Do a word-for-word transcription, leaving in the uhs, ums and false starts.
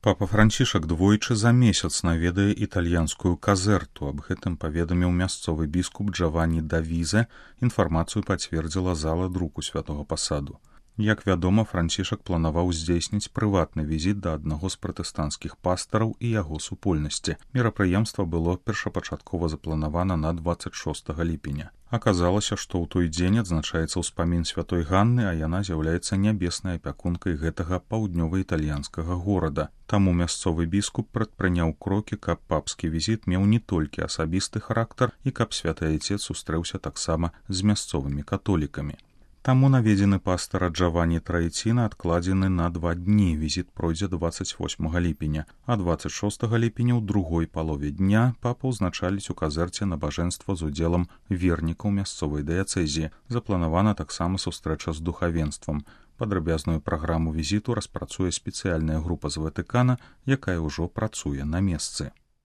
Папа Францішак двойчы за месяц наведае італьянскую казэрту. Аб гэтым паведаміў мясцовы біскуп Джаванні Давізе. Інфармацыю пацвердзіла зала друку святого пасаду. Як вядома, Францішак планаваў здзейсніць прыватны візіт да аднаго з пратэстанцкіх пастараў і яго супольнасці. Мерапрыемства было першапачаткова запланавана на дваццаць шостага ліпеня. Аказалася, што ў той дзень адзначаецца ўспамін святой Ганны, а яна з'яўляецца нябеснай апякункай гэтага паўднёва-італьянскага горада. Таму мясцовы біскуп прадпрыняў крокі, каб папскі візіт меў не толькі асабісты характар і каб святы айцец сустрэўся таксама з мясцовымі католікамі. Таму наведзены пастара Джаванні Траіціна адкладзены на два дні. Візіт пройдзе дваццаць восьмага ліпеня, а дваццаць шостага ліпеня ў другой палове дня папа ўзначаліць у казэрце набажэнства з удзелам вернікаў мясцовай дыяцэзіі. Запланавана таксама сустрэча з духавенствам. Падрабязную праграму візіту распрацуе спецыяльная група з Ватыкана, якая ўжо працуе на месцы.